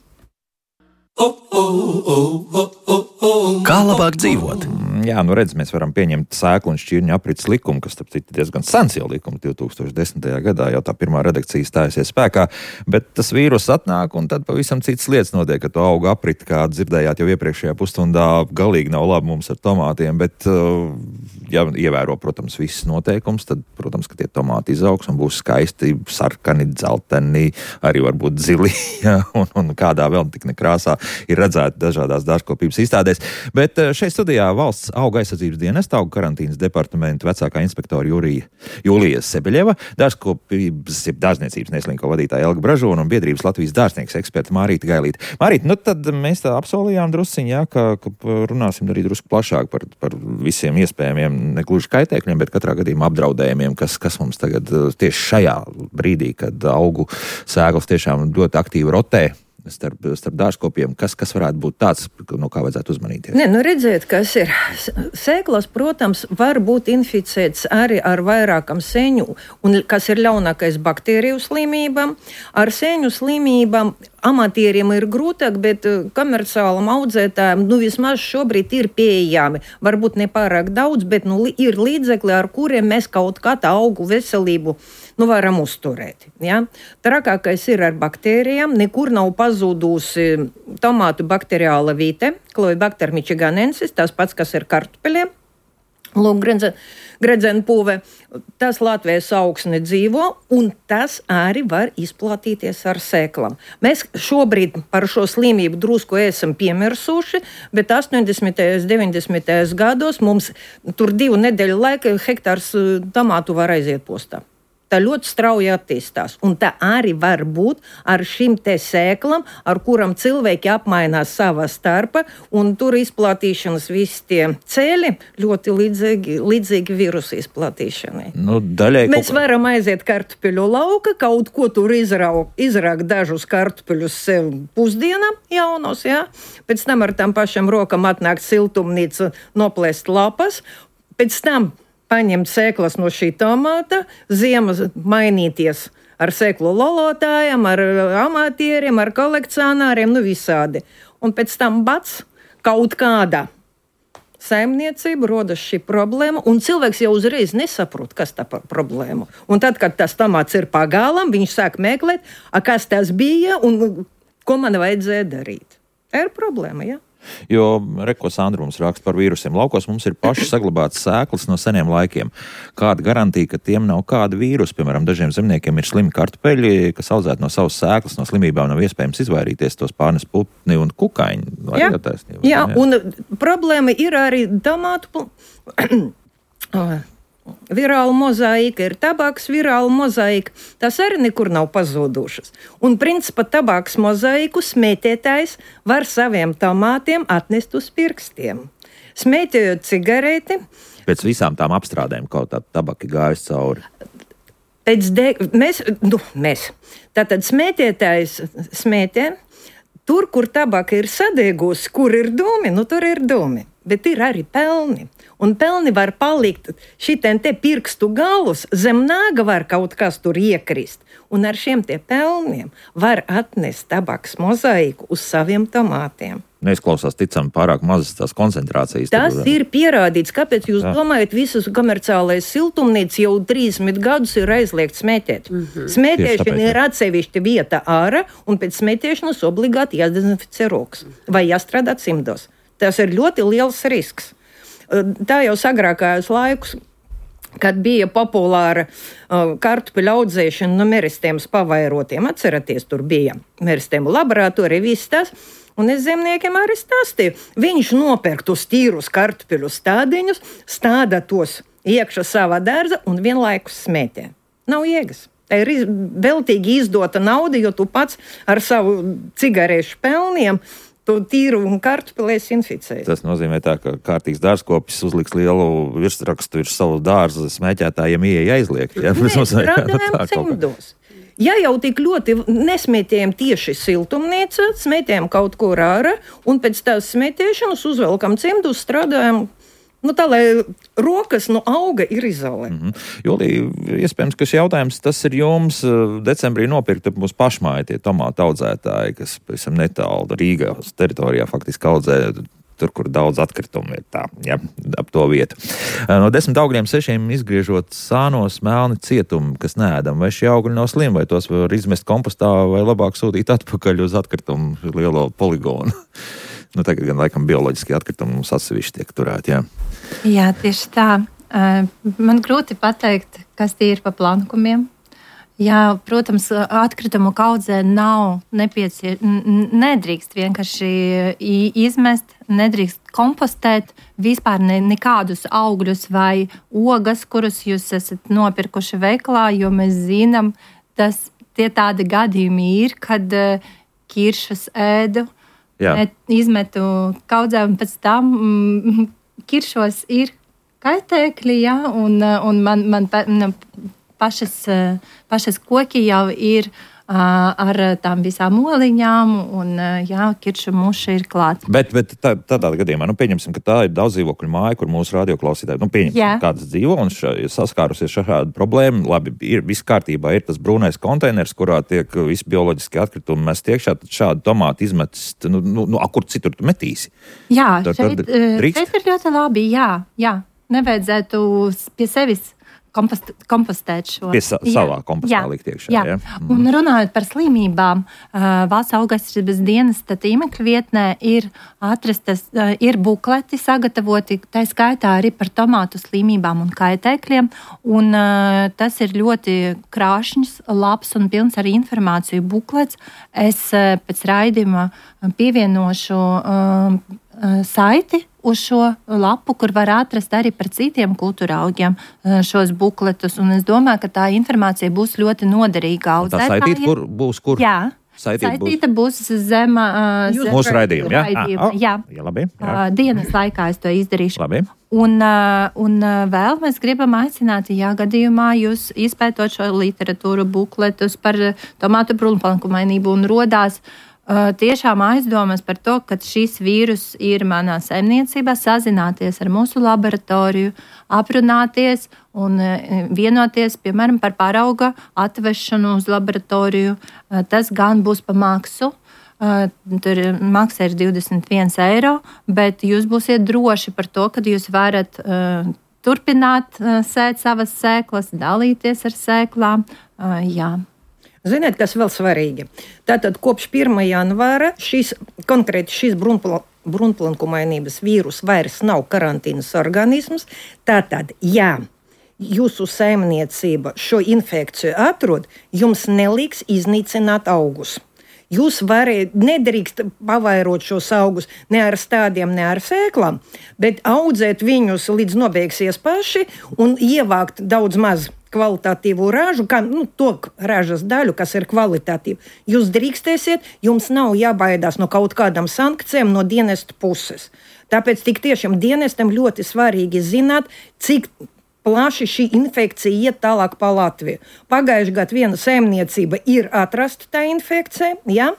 Kā labāk dzīvot? Jā, nu redz, mēs varam pieņemt sēklu un šķirņu aprits likumu, kas starp citu diezgan sens jau likums, divi tūkstoši desmitajā gadā jau tā pirmā redakcija stājusies spēkā, bet tas vīrus atnāk un tad pavisam citas lietas notiek, ka to auga aprit, kā dzirdējāt jau iepriekšējā pusstundā, galīgi nav labi mums ar tomātiem, bet ja ievēro, protams, visus noteikums, tad, protams, ka tie tomāti izaugs un būs skaisti, sarkani, dzelteni, arī varbūt zili, ja, un, un kādā vēl tik nekrāsā ir redzēti dažādās dārzkopības izstādēs. Bet šeit studijā valsts auga aizsardzības dienesta auga karantīnas departamenta vecākā inspektora Jūrija, Jūlija Sebeļeva, dārzkopības, jeb dārzniecības neslinko vadītāja Elga Bražona un biedrības Latvijas dārznieks eksperta Mārīta Gailīte. Mārīta, nu tad mēs tā apsolījām drusciņ, jā, ka, ka runāsim arī drusku plašāk par, par visiem iespējamiem, negluži kaitēkļiem, bet katrā gadījumā apdraudējumiem, kas, kas mums tagad tieši šajā brīdī, kad augu sēklas tiešām ļoti aktīvi rotē starp, starp dārzkopiem, kas, kas varētu būt tāds, no kā vajadzētu uzmanīties? Ne, nu redziet, kas ir. Sēklas, protams, var būt inficēts arī ar vairākam seņu, un kas ir ļaunākais baktēriju slimībām. Ar seņu slimībām amatieriem ir grūtāk, bet komerciālam audzētājiem, nu vismaz šobrīd ir pieejami. Varbūt ne pārāk daudz, bet nu, ir līdzekļi, ar kuriem mēs kaut kā tā augu veselību nu, varam uzturēt. Ja? Trakākais ir ar baktērijām. Nekur nav pazūdusi tomātu bakteriāla vīte, Cloibacter michiganensis, tas pats, kas ir kartupeļiem. Lūk, gredzenpūve, tas Latvijas augsne dzīvo, un tas arī var izplatīties ar sēklām. Mēs šobrīd par šo slimību drusku esam piemirsuši, bet astoņdesmitajos, deviņdesmitajos gados mums tur divu nedēļu laika hektārs tomātu var aiziet postā. Tā ļoti strauji attīstās, un tā arī var būt ar šim te sēklam, ar kuram cilvēki apmainās savā starpā, un tur izplatīšanas visi tie ceļi ļoti līdzīgi, līdzīgi virusu izplatīšanai. Nu, daļai Mēs kaut... varam aiziet kartupeļu lauka, kaut ko tur izraukt, izraukt dažus kartupeļus sev pusdienām jaunos, jā. Pēc tam ar tam pašam rokam atnākt siltumnīca, noplēst lapas, pēc tam paņemt sēklas no šī tomāta, ziema mainīties ar sēklu lolotājiem, ar amatieriem, ar kolekcionāriem, nu visādi. Un pēc tam bats kaut kādā saimniecība rodas šī problēma, un cilvēks jau uzreiz nesaprot, kas tā par problēmu. Un tad, kad tas tomāts ir pagālam, viņš sāk meklēt, a, kas tas bija un ko man vajadzēja darīt. Tā ir problēma, jā. Jo, reko Sandra mums raksta par vīrusiem. Laukos mums ir paši saglabāts sēklas no seniem laikiem. Kāda garantija, ka tiem nav kāda vīrusa? Piemēram, dažiem zemniekiem ir slimi kartupeļi, kas audzēt no savas sēklas, no slimībām nav iespējams izvairīties, tos pārnes putni un kukaiņi. Jā, jā, jā, un problēma ir arī tomātu virāla mozaīka, ir tabaks virāla mozaīka, tas arī nekur nav pazūdušas. Un principā tabaks mozaīku smētētājs var saviem tomātiem atnest uz pirkstiem. Smētējot cigareti. Pēc visām tām apstrādēm kaut tā tabaki gājas cauri. Pēc de... mēs, nu, mēs. Tātad smētētājs smētē, tur, kur tabaka ir sadiegusi, kur ir dūmi, nu tur ir dūmi. Bet ir arī pelni. Un pelni var palikt šitien te pirkstu galus, zem nāga var kaut kas tur iekrist. Un ar šiem te pelniem var atnest tabaks mozaīku uz saviem tomātiem. Neizklausās ticam pārāk mazas tās koncentrācijas. Tas tad, ir pierādīts. Kāpēc jūs jā. domājat, visas komerciālais siltumnīcas jau trīsdesmit gadus ir aizliegts smētēt? Mm-hmm. Smētēšana ir atsevišķa vieta ārā, un pēc smētēšanas obligāti jādezinficē rokas vai jāstrādā cimdos. Tas ir ļoti liels risks. Tā jau agrākajos laikus, kad bija populāra uh, kartupeļu audzēšana no meristēmas pavairotiem. Atceraties, tur bija meristēmu laboratorija, viss tas. Un es zemniekiem arī stāstīju. Viņš nopērk tos tīrus kartupeļu stādiņus, stāda tos iekšā savā dārza un vienlaikus smētē. Nav jēgas. Tā ir iz, veltīgi izdota nauda, jo tu pats ar savu cigarešu pelniem to tīru un kartupelēs inficēs. Tas nozīmē tā, ka kārtīgs dārzkopis uzliks lielu virsrakstu virs savu dārzu smēķētājiem ieeja aizliegt. Ja? Nē, strādājam cimdos. Ja jau tik ļoti nesmētējam tieši siltumnīca, smētējam kaut ko ārā, un pēc tās smētēšanas uzvelkam cimdus, strādājam. Nu, tā, lai rokas no auga ir izolē. Mm-hmm. Julija, iespējams, ka šis jautājums, tas ir jums decembrī nopirkta mūsu pašmāja tie tomātu audzētāji, kas pavisam netālu Rīgas teritorijā faktiski audzē tur, kur daudz atkritumu ir tā, ja, ap to vietu. No desmit augļiem sešiem izgriežot sānos melni cietumi, kas neēdam, vai šie augļi nav slimi, vai tos var izmest kompostā, vai labāk sūtīt atpakaļ uz atkritumu lielo poligonu. Nu, tagad gan laikam bioloģiski atkritumi mums atsevišķi tiek turēti, jā. Jā, tieši tā. Man grūti pateikt, kas tie ir pa plankumiem. Jā, protams, atkritumu kaudzē nav nepieciešams, nedrīkst vienkārši izmest, nedrīkst kompostēt vispār ne, nekādus augļus vai ogas, kurus jūs esat nopirkuši veikalā, jo mēs zinām, tas tie tādi gadījumi ir, kad kiršus ēdu, Jā. izmetu kaudzē un pēc tam mm, kiršos ir kaitēkļi, jā, un, un man, man pa, pašas, pašas koki jau ir uh, ar tām visām oliņām, un uh, jā, kiršu muša ir klāta. Bet, bet tā, tādā gadījumā, nu pieņemsim, ka tā ir daudz dzīvokļu māja, kur mūsu radioklausītāji, nu pieņemsim, jā. Kāds dzīvo un ša, saskārusies ar šādu problēmu, labi, ir viss kārtībā, ir tas brūnais konteiners, kurā tiek visi bioloģiski atkritumi mest iekšā, tad šādu tomātu izmetis, nu, nu, nu kur citur tu metīsi? Jā, tad, šeit, tad šeit ir ļoti labi, jā, jā, nevajadzētu pie sevis Kompost, kompostēt šo. Pie sa, savā kompostā likt iekšā. Jā. Jā. Mm. Un runājot par slimībām, uh, Valsts augaisardzības dienesta tīmekļa vietnē ir atrastas, uh, ir bukleti sagatavoti, tā skaitā arī par tomātu slimībām un kaitēkļiem, un uh, tas ir ļoti krāšņs, labs un pilns ar informāciju buklets. Es uh, pēc raidījuma pievienošu uh, saiti uz šo lapu, kur var atrast arī par citiem kultūra augiem šos bukletus, un es domāju, ka tā informācija būs ļoti noderīga audzētājiem. Tā saitīt, kur būs kur? Jā. Saitīt Saitīta būs, būs zem, uh, zem mūsu raidījuma, jā? raidījuma, Ah, jā. jā, labi. Jā. Uh, dienas laikā es to izdarīšu. Labi. Un, uh, un uh, vēl mēs gribam aicināt, ja gadījumā jūs izpētot šo literatūru bukletus par tomātu brūnplankumainību un rodās Uh, tiešām aizdomas par to, ka šis vīrus ir manā saimniecībā, sazināties ar mūsu laboratoriju, aprunāties un uh, vienoties, piemēram, par parauga atvešanu uz laboratoriju. Uh, tas gan būs pa maksu. Uh, tur maksa ir divdesmit viens eiro, bet jūs būsiet droši par to, ka jūs varat uh, turpināt uh, sēt savas sēklas, dalīties ar sēklām. Uh, jā. Ziniet, kas vēl svarīgi? Tātad kopš pirmā janvāra šis, konkrēti šis brunpla, brunplankumainības vīrus vairs nav karantīnas organisms. Tātad, ja jūsu saimniecība šo infekciju atrod, jums neliks iznīcināt augus. Jūs variet, nedrīkst pavairot šos augus ne ar stādiem, ne ar sēklām, bet audzēt viņus līdz nobeigsies paši un ievākt daudz maz kvalitatīvu ražu, kā, nu, to ražas daļu, kas ir kvalitatīva. Jūs drīkstēsiet, jums nav jābaidās no kaut kādām sankcijām no dienesta puses. Tāpēc tik tiešām dienestam ļoti svarīgi zināt, cik plaši šī infekcija iet tālāk pa Latviju. Pagājuši gadu viena saimniecība ir atrasta tā infekcija, ja?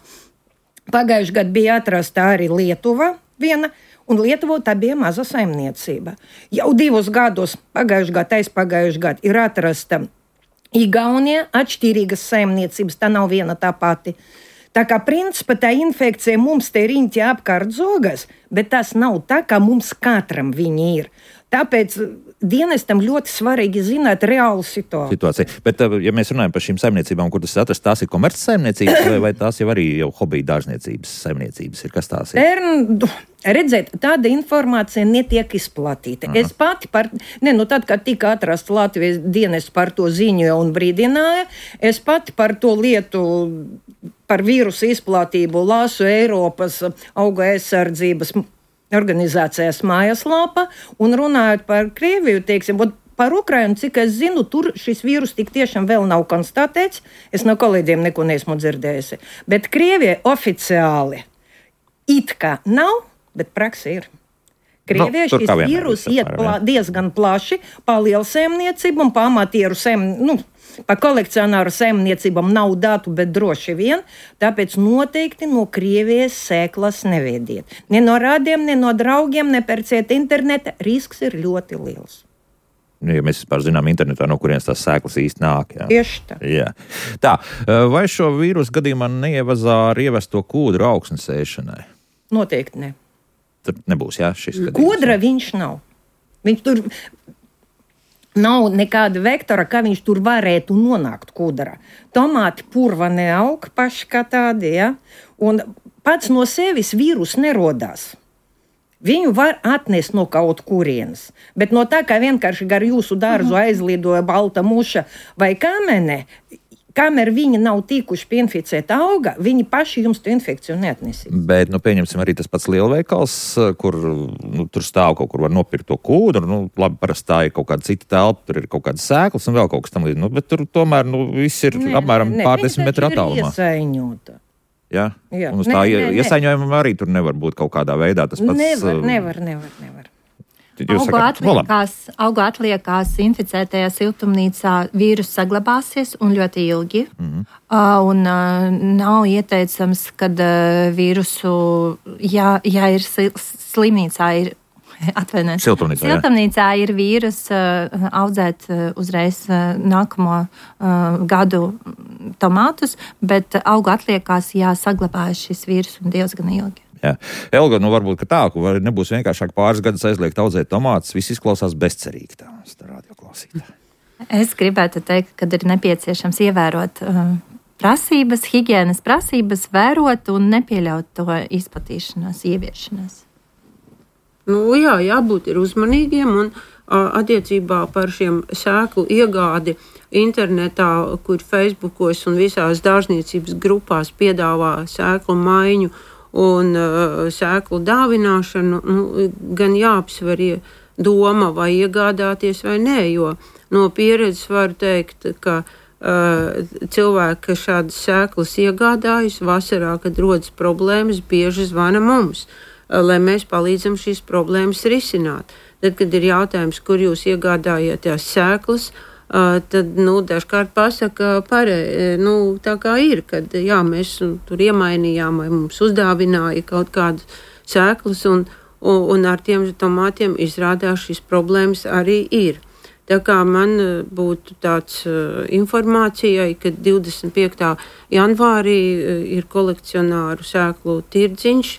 Pagājuši gadu bija atrasta arī Lietuva viena, un Lietuvā tā bija maza saimniecība. Jau divus gadus, pagājuši gadu, aizpagājuši gadu, ir atrasta Igaunija, atšķirīgas saimniecības, tā nav viena tā pati. Tā kā principā tā infekcija mums te riņķi apkārt zogas, bet tas nav tā, kā mums katram viņi ir. Tāpēc dienestam ļoti svarīgi zināt reālu situāciju. situāciju. Bet, ja mēs runājam par šīm saimniecībām, kur tas atrast, tās ir komerces saimniecības, vai, vai tās jau arī jau hobija dārzniecības saimniecības ir? Kas tās ir? Tern, redziet, tāda informācija netiek izplatīta. Aha. Es pati par, ne, nu tad, kad tika atrasta Latvijas dienests par to ziņoja un brīdināja, es pati par to lietu, par vīrusu izplatību lasu Eiropas auga aizsardzības organizācijas mājaslāpa un runājot par Krieviju, teiksim, par Ukrainu, cik es zinu, tur šis vīrus tik tiešām vēl nav konstatēts. Es no kolēģiem neko neesmu dzirdējusi. Bet Krievijai oficiāli it kā nav, bet praksi ir. Krievijai nu, šis vīrus iet plā, diezgan plaši pa lielsēmniecībām, pa amatieru sēm, nu, pa kolekcionāru saimniecībām nav datu, bet droši vien, tāpēc noteikti no Krievijas sēklas neviediet. Ne no rādiem, ne no draugiem, ne pērciet interneta, risks ir ļoti liels. Nu, ja mēs vispār zinām internetā, no kurienes tās sēklas īsti nāk. Jā. Tieši tā. Jā. Tā, vai šo vīrusu gadījumā neievazā ar ievesto kūdru augsnes ēšanai? Noteikti ne. Tur nebūs, jā, šis gadījums. Kūdra viņš nav. Viņš tur nav nekāda vektora, kā viņš tur varētu nonākt kūdrā. Tomāti purva neaug paši kā tādi, ja? Un pats no sevis vīrus nerodās. Viņu var atnest no kaut kurienes, bet no tā, kā vienkārši gar jūsu dārzu aizlidoja balta muša vai kamene, kamēr viņi nav tikuši pieinficēt auga, viņi paši jums to infekciju neatnesīs. Bet, nu, pieņemsim arī tas pats lielveikals, kur nu, tur stāv kaut kur var nopirkt to kūdru, nu, labi, parasti tā ir kaut kāda cita telpa, tur ir kaut kādas sēklas un vēl kaut kas tam līdz, nu, bet tur tomēr, nu, viss ir ne, apmēram ne, pārdesmit metru attālumā. Iesaiņota. Jā, jā. Un uz tā iesaņojuma arī tur nevar būt kaut kādā veidā. Tas pats, nevar, nevar, nevar, nevar. Augu atliekās, augu atliekās inficētajā siltumnīcā vīrus saglabāsies un ļoti ilgi. Mm-hmm. Uh, un uh, nav ieteicams, kad uh, vīrusu, ja, ja ir slimnīcā, ir atvainojiet. Siltumnīcā, Siltumnīcā ir vīrus uh, audzēt uh, uzreiz uh, nākamo uh, gadu tomātus, bet augu atliekās jāsaglabājas šis vīrus un diezgan ilgi. Jā. Elga, nu varbūt ka tā, ka nebūs vienkāršāk pāris gadus aizliegt audzēt tomātus, viss izklausās bezcerīgi tā, tā radioklausītā. Es gribētu teikt, ka ir nepieciešams ievērot uh, prasības, higienas prasības, vērot un nepieļaut to izplatīšanos, ieviešanos. Nu, jā, jābūt ir uzmanīgiem un uh, attiecībā par šiem sēklu iegādi internetā, kur Facebookos un visās dārzniecības grupās piedāvā sēklu maiņu un uh, sēklu dāvināšanu, nu, gan jāapsver doma vai iegādāties vai nē, jo no pieredzes varu teikt, ka uh, cilvēki, kas šādas sēklas iegādājas vasarā, kad rodas problēmas, bieži zvana mums, lai mēs palīdzam šīs problēmas risināt. Tad, kad ir jautājums, kur jūs iegādājat tās sēklas, uh, tad, nu, dažkārt pasaka parē, nu, tā kā ir, kad, jā, mēs tur iemainījām vai mums uzdāvināja kaut kādas sēklas un, un, un ar tiem tomātiem izrādās šīs problēmas arī ir. Tā kā man būtu tāds uh, informācijai, ka divdesmit piektā janvārī uh, ir kolekcionāru sēklu tirdziņš,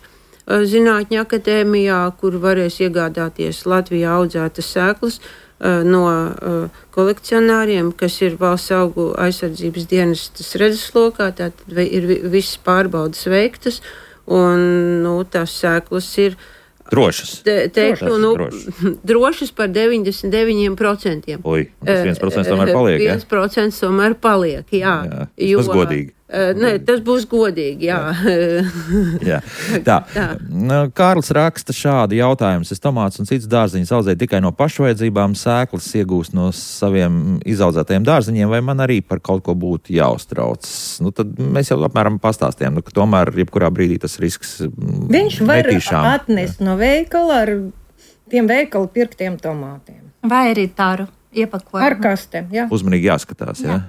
Zinātņu akadēmijā, kur varēs iegādāties Latvijā audzētas sēklas uh, no uh, kolekcionāriem, kas ir valsts augu aizsardzības dienestas redzeslokā. Tātad ir visas pārbaudas veiktas, un nu, tās sēklas ir drošas. Te, teiktu, drošas, nu, drošas. drošas par deviņdesmit deviņi procenti. Oi, tas viens procents tomēr paliek, jā? viens procents tomēr paliek, jā. jā jo, tas godīgi. Uh, ne, tas būs godīgi, jā. jā. Tā. tā. Kārlis raksta šādi jautājumus. Es tomātus un citas dārziņus audzēju tikai no pašvajadzībām, sēklas iegūst no saviem izaudzētajiem dārziņiem, vai man arī par kaut ko būtu jāuztrauc? Nu, tad mēs jau apmēram pastāstījām, nu, ka tomēr jebkurā brīdī tas risks viņš var netīšām. atnest no veikala ar tiem veikalu pirktiem tomātiem. Vai arī tāru iepakojumu. Ar kastēm, jā. Uzmanīgi jāskatās, jā. jā.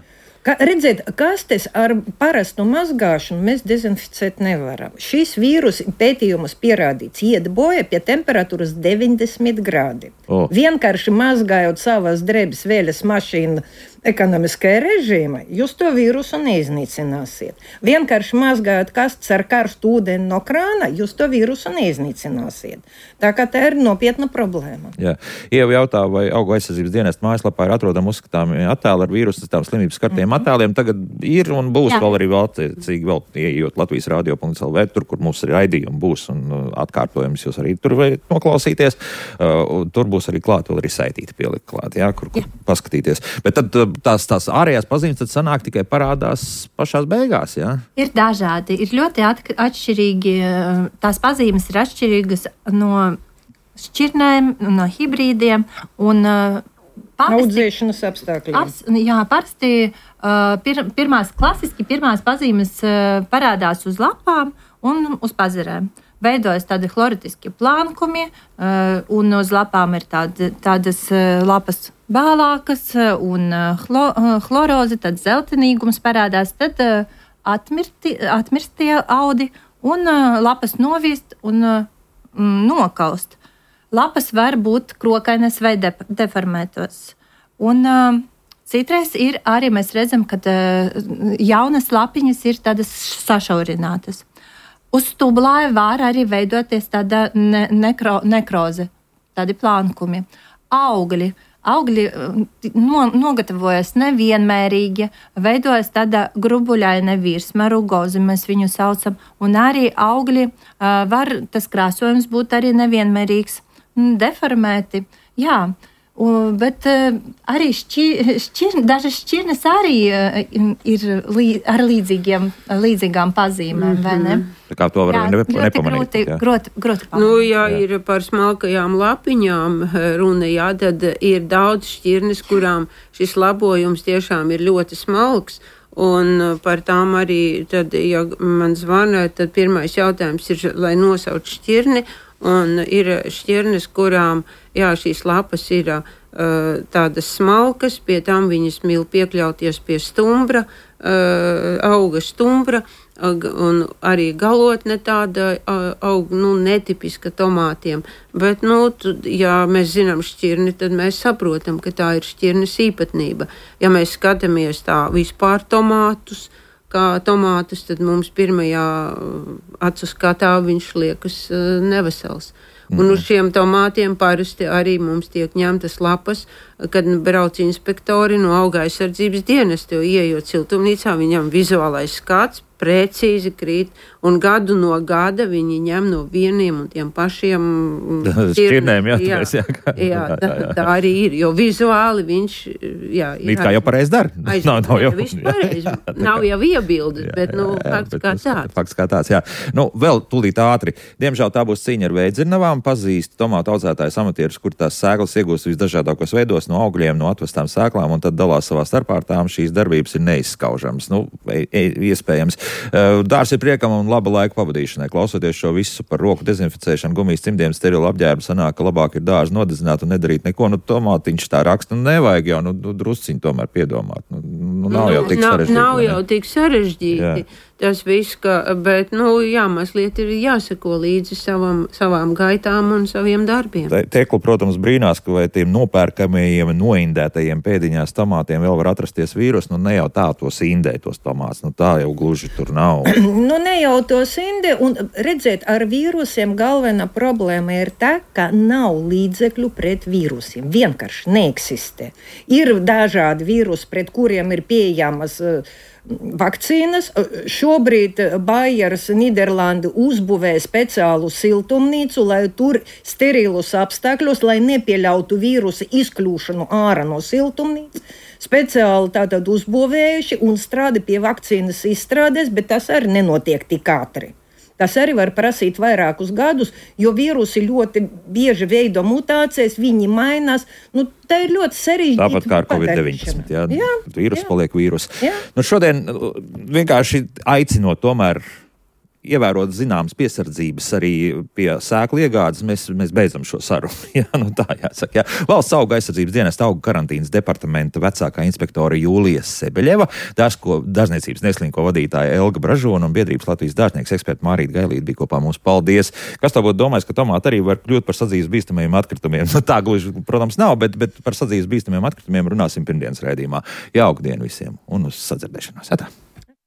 Ka, redziet, kastes ar parastu mazgāšanu mēs dezinficēt nevaram. Šis vīrus pētījumus pierādīts iet bojā pie temperatūras deviņdesmit grādi. Oh. Vienkārši mazgājot savas drēbes vēļas mašīnu ekonomiskajā režīmā, jūs to vīrusu neiznīcināsiet. Vienkārši mazgājot kastes ar karstu ūdeni no krāna, jūs to vīrusu neiznīcināsiet. Tā kā tā ir nopietna problēma. Jā. Ieva jautā, vai augu aizsardzības dienesta mājaslapā ir atrodami uzskatāmi attēli ar vīrusu tām slimības skartiem mm-hmm. attēliem. Tagad ir un būs Jā. vēl arī vēltiecīgi vēl ieejot Latvijas radio punkts el vē, tur, kur mums arī raidījumi būs un atkārtojums, jūs arī tur varat noklausīties. Uh, tur būs arī klāt, vēl arī saitīti pielikt klāt, jā, kur, kur paskatīties. Bet tad tās, tās ārējās pazīmes tad sanāk tikai parādās pašās beigās, jā? Ir dažādi, ir ļoti atšķirīgi, tās pazīmes ir atšķirīgas no šķirnēm, no hibrīdiem, un audzēšanas apstākļiem. Abs, jā, parasti uh, pir, pirmās, klasiski pirmās pazīmes uh, parādās uz lapām un uz pazarēm. Veidojas tādi chloritiski plankumi, uh, un uz lapām ir tādi, tādas uh, lapas bālākas un uh, chlo, uh, chlorozi, tad zeltenīgums parādās, tad uh, atmirti, atmirstie audi un uh, lapas novīst un uh, nokaust. Lapas var būt krokainas vai de, deformētos. Un uh, citreiz ir arī mēs redzam, ka uh, jaunas lapiņas ir tādas sašaurinātas. Uz stublāja var arī veidoties tāda ne, nekro, nekroze, tādi plankumi. Augļi. Augļi no, nogatavojas nevienmērīgi, veidojas tāda grubuļaina virsma, rugozi mēs viņu saucam, un arī augļi uh, var, tas krāsojums būt arī nevienmērīgs, deformēti, jā. Un, bet uh, arī šķir, šķir, dažas šķirnes arī uh, ir lī, ar līdzīgiem, līdzīgām pazīmēm, mm-hmm. vai ne? Tā kā to var jā, ne, nepamanīt. Grūti, grūti, grūti pamanīt. Nu, ja jā. Ir par smalkajām lapiņām runa, jā, tad ir daudz šķirnes, kurām šis labojums tiešām ir ļoti smalks. Un par tām arī, tad, ja man zvana, tad pirmais jautājums ir, lai nosauc šķirni. Un ir šķirnes, kurām jā, šīs lapas ir uh, tādas smalkas, pie tām viņas mīl piekļauties pie stumbra, uh, auga stumbra, uh, un arī galotne tāda uh, aug, nu, netipiska tomātiem. Bet, nu, tu, ja mēs zinām šķirni, tad mēs saprotam, ka tā ir šķirnes īpatnība. Ja mēs skatāmies tā vispār tomātus, kā tomātus, tad mums pirmajā acu skatā viņš liekas uh, nevesels. Mm. Un uz šiem tomātiem parasti arī mums tiek ņemtas lapas, kad brauc inspektori no auga aizsardzības dienesta, jo ieejot siltumnīcā, viņam vizuālais skats precīzi krīt, un gadu no gada viņi ņem no vieniem un tiem pašiem šķirnēm. Jā, jā, jā, jā, tā, tā arī ir, jo vizuāli viņš, jā, ir. It kā jau pareizi dara. Nav, nav jau viss pareizi. Nav jau iebildes, jā, bet, nu, jā, fakts bet kā tāds. Fakts kā tāds, jā. Nu, vēl tūlīt ātri. Diemžēl tā būs cīņa ar veidzirnavām. Pazīst tomātu audzētājs amatierus, kur tās sēklas iegūst visdažādākos veidos no augļiem, no atvestām sēklām, un tad dalās savā starpā ar tām. Šīs darbības ir neizskaužamas. Nu, iespējams. Dārs ir priekam un laba laika pavadīšanai. Klausoties šo visu par roku dezinficēšanu, gumijas cimdiem, sterilu apģērbu, sanāk, ka labāk ir dārzu nodedzināt un nedarīt neko. Nu, tomātiņš tā raksta, nu, nevajag jau, nu, drusciņu tomēr piedomāt. Nu, nu nav jau tik sarežģīti. Nav jau tik sarežģīti. Jā. Tas viss, ka, bet, nu, jā, mazliet ir jāseko līdzi savam, savām gaitām un saviem darbiem. Tekla, protams, brīnās, ka vai tiem nopērkamajiem, noindētajiem pēdiņās tomātiem vēl var atrasties vīrus, nu, ne jau tā tos indē, tos tomāts, nu, tā jau gluži tur nav. Nu, ne jau tos indē, un redzēt, ar vīrusiem galvenā problēma ir tā, ka nav līdzekļu pret vīrusiem. Vienkārši neeksistē. Ir dažādi vīrusi, pret kuriem ir pieejamas vakcīnas. Šobrīd Bayers Nīderlandi uzbūvēja speciālu siltumnīcu, lai tur sterilus apstākļos, lai nepieļautu vīrusu izkļūšanu ārā no siltumnīcas. Speciāli tātad uzbūvējuši un strādā pie vakcīnas izstrādes, bet tas arī nenotiek tik ātri. Tas arī var prasīt vairākus gadus, jo vīrusi ļoti bieži veido mutācijas, viņi mainās. Nu, tā ir ļoti sarežģīta. Tāpat kā ar covid deviņpadsmit. Jā, jā, vīrus jā. Paliek vīrus. Nu, šodien vienkārši aicinot tomēr ievērot zināmas piesardzības arī pie sēklu iegādes, mēs, mēs beidzam šo sarunu. Jā, nu tā jāsaka. Jā. Valsts auga aizsardzības dienesta auga karantīnas departamenta vecākā inspektora Jūlija Sebeļeva, dārzko dārzniecības neslinko vadītāja Elga Bražona un biedrības Latvijas dārznieks eksperta Mārīta Gailīte bija kopā mums. Paldies! Kas tā būtu domājis, ka tomāti arī var kļūt par sadzīves bīstamajiem atkritumiem? Nu, tā gluži, protams, nav, bet, bet par sadzīves bīstamajiem atkritumiem runāsim pirmdienas raidījumā. Jauku dienu visiem un uz sadzirdēšanos. Atā.